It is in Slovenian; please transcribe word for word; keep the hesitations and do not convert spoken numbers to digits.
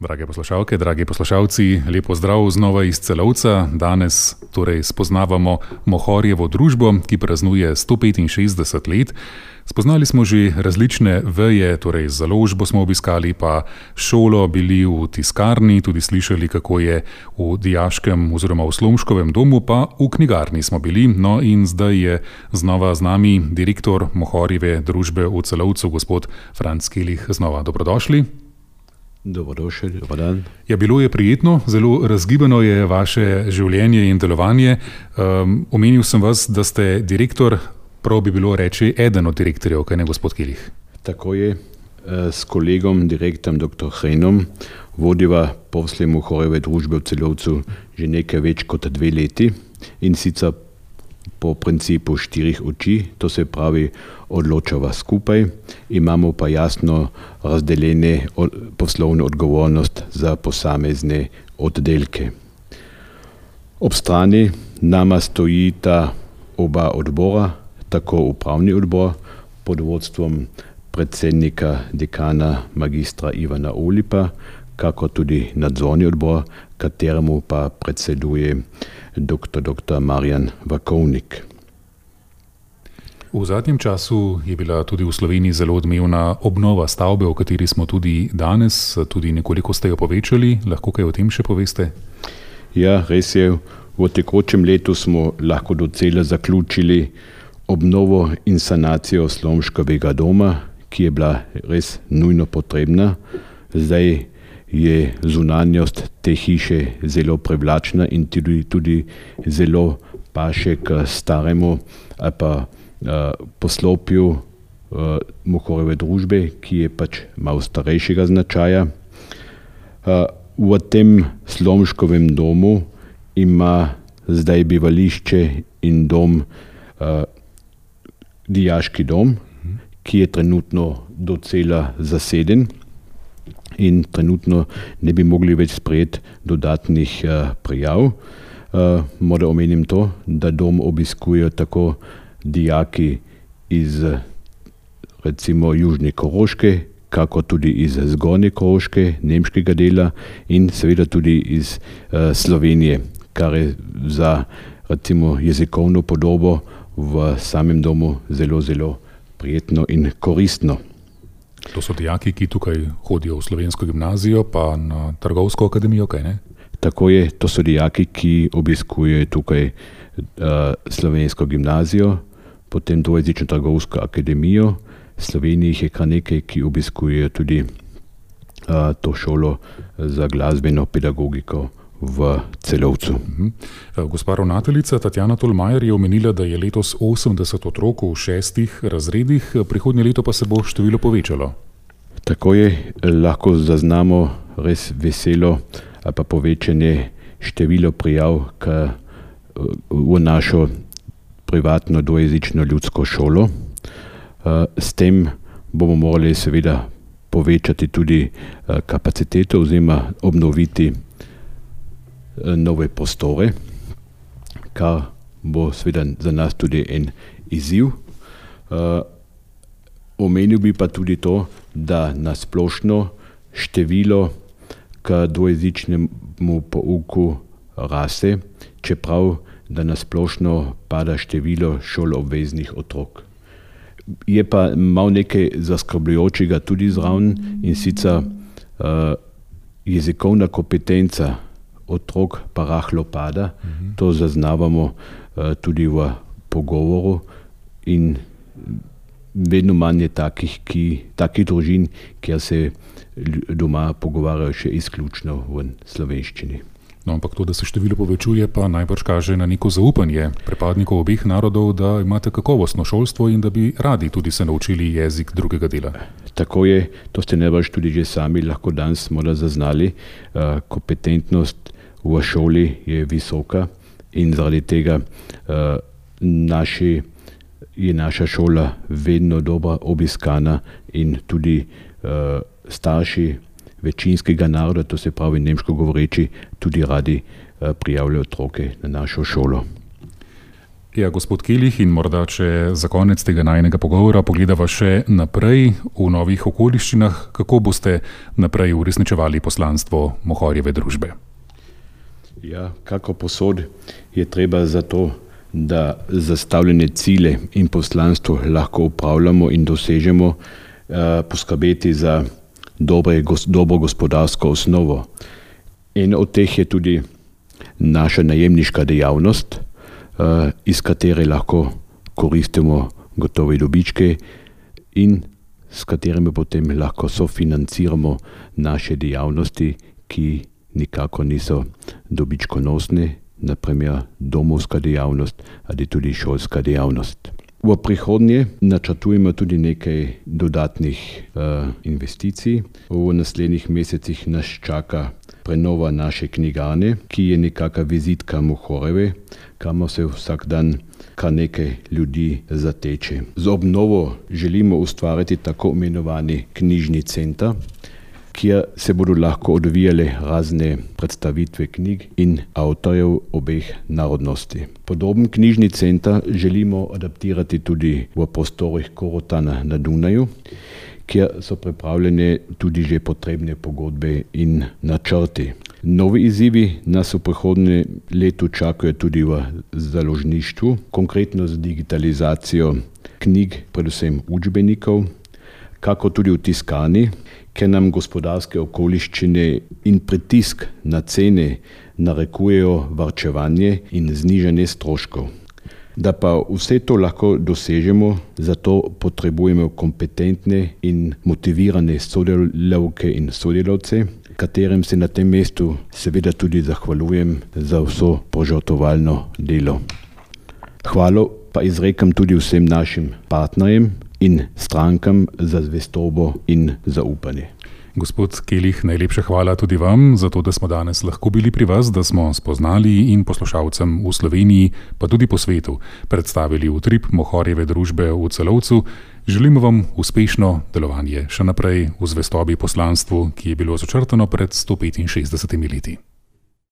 Drage poslušalke, dragi poslušalci, lepo zdrav znova iz Celovca. Danes torej spoznavamo Mohorjevo družbo, ki praznuje sto petinšestdeset let. Spoznali smo že različne veje, torej založbo smo obiskali, pa šolo, bili v tiskarni, tudi slišali, kako je v dijaškem oziroma v Slomškovem domu, pa v knjigarni smo bili. No in zdaj je znova z nami direktor Mohorjeve družbe v Celovcu, gospod Franc Kelih. Znova dobrodošli. Dobrodošli, dober dan. Ja, bilo je prijetno, zelo razgibano je vaše življenje in delovanje. Um, omenil sem vas, da ste direktor, prav bi bilo reči eden od direktorjev, kaj ne, gospod Kelih? Tako je, s kolegom, direktorjem doktor Hrenom, vodiva posle Mohorjeve družbe v Celovcu že nekaj več kot dve leti in sicer po principu štirih oči, to se pravi odločava skupaj, imamo pa jasno razdeljene poslovno odgovornost za posamezne oddelke. Ob strani nama stojita oba odbora, tako upravni odbor pod vodstvom predsednika dekana magistra Ivana Olipa, kako tudi nadzorni odbor, kateremu pa predseduje doktor doktor Marjan Vakovnik. V zadnjem času je bila tudi v Sloveniji zelo odmevna obnova stavbe, o kateri smo tudi danes, tudi nekoliko ste jo povečali. Lahko kaj o tem še poveste? Ja, res je. V tekočem letu smo lahko docela zaključili obnovo in sanacijo Slomškovega doma, ki je bila res nujno potrebna. Zdaj je zunanjost te hiše zelo privlačna in tudi, tudi zelo paše k staremu ali pa uh, poslopju uh, Mohorjeve družbe, ki je pač malo starejšega značaja. Uh, v tem Slomškovem domu ima zdaj bivališče in dom uh, dijaški dom, ki je trenutno docela zaseden in trenutno ne bi mogli več sprejeti dodatnih uh, prijav. Uh, Moram omenim to, da dom obiskujejo tako dijaki iz recimo Južne Koroške, kako tudi iz Zgornje Koroške, nemškega dela in seveda tudi iz uh, Slovenije, kar je za recimo jezikovno podobo v samem domu zelo, zelo prijetno in koristno. To so dijaki, ki tukaj hodijo v slovensko gimnazijo, pa na trgovsko akademijo, kaj ne? Tako je, to so dijaki, ki obiskujejo tukaj uh, slovensko gimnazijo, potem dvojezično trgovsko akademijo. V Sloveniji jih je kar nekaj, ki obiskujejo tudi uh, to šolo za glasbeno pedagogiko v Celovcu. Uh-huh. Gospa ravnateljica Tatjana Tolmajer je omenila, da je letos osemdeset otrok v šestih razredih, prihodnje leto pa se bo število povečalo. Tako je, lahko zaznamo res veselo ali pa povečanje število prijav k, v našo privatno dvojezično ljudsko šolo. S tem bomo morali seveda povečati tudi kapaciteto oziroma obnoviti nove prostore, kar bo seveda za nas tudi en izziv. Uh, omenil bi pa tudi to, da na splošno število k dvojezičnemu pouku raste, čeprav da na splošno pada število šoloobveznih otrok. Je pa malo nekaj zaskrbljujočega tudi zraven in sicer uh, jezikovna kompetenca otrok pa rahlo pada, uh-huh. To zaznavamo uh, tudi v pogovoru in vedno manj je takih, ki, takih družin, kjer se doma pogovarjajo še izključno v slovenščini. No, ampak to, da se število povečuje, pa najbrž kaže na neko zaupanje pripadnikov obeh narodov, da imate kakovostno šolstvo in da bi radi tudi se naučili jezik drugega dela. Tako je, to ste najbrž tudi že sami lahko danes morda zaznali. Uh, kompetentnost v šoli je visoka in zaradi tega uh, naši, je naša šola vedno dobro obiskana in tudi uh, starši večinskega naroda, to se pravi nemško govoreči, tudi radi uh, prijavljajo otroke na našo šolo. Ja, gospod Kelih, in morda če za konec tega najinega pogovora pogledava še naprej v novih okoliščinah, kako boste naprej uresničevali poslanstvo Mohorjeve družbe? Ja, kako posod je treba za to, da zastavljene cilje in poslanstvo lahko upravljamo in dosežemo, eh, poskrbeti za dobre, gos, dobro gospodarsko osnovo. En od teh je tudi naša najemniška dejavnost, eh, iz katere lahko koristimo gotove dobičke in s katerimi potem lahko sofinanciramo naše dejavnosti, ki nikako niso dobičkonosne, naprimer domovska dejavnost ali tudi šolska dejavnost. V prihodnje načrtujemo tudi nekaj dodatnih uh, investicij. V naslednjih mesecih nas čaka prenova naše knjigarne, ki je nekakšna vizitka Mohorjeve, kamor se vsak dan kar nekaj ljudi zateče. Z obnovo želimo ustvariti tako imenovani knjižni center, kjer se bodo lahko odvijale razne predstavitve knjig in avtorjev obeh narodnosti. Podoben knjižni center želimo adaptirati tudi v prostorih Korotana na Dunaju, kjer so pripravljene tudi že potrebne pogodbe in načrti. Novi izzivi nas v prihodnjem letu čakajo tudi v založništvu, konkretno z digitalizacijo knjig, predvsem učbenikov, kako tudi v tiskani, ker nam gospodarske okoliščine in pritisk na cene narekujejo varčevanje in znižanje stroškov. Da pa vse to lahko dosežemo, zato potrebujemo kompetentne in motivirane sodelavke in sodelavce, katerim se na tem mestu seveda tudi zahvaljujem za vso požrtvovalno delo. Hvalo pa izrekam tudi vsem našim partnerjem in strankam za zvestobo in zaupanje. Gospod Kelih, najlepša hvala tudi vam za to, da smo danes lahko bili pri vas, da smo spoznali in poslušalcem v Sloveniji, pa tudi po svetu, predstavili utrip Mohorjeve družbe v Celovcu. Želimo vam uspešno delovanje še naprej v zvestobi poslanstvu, ki je bilo začrtano pred sto petinšestdesetimi leti.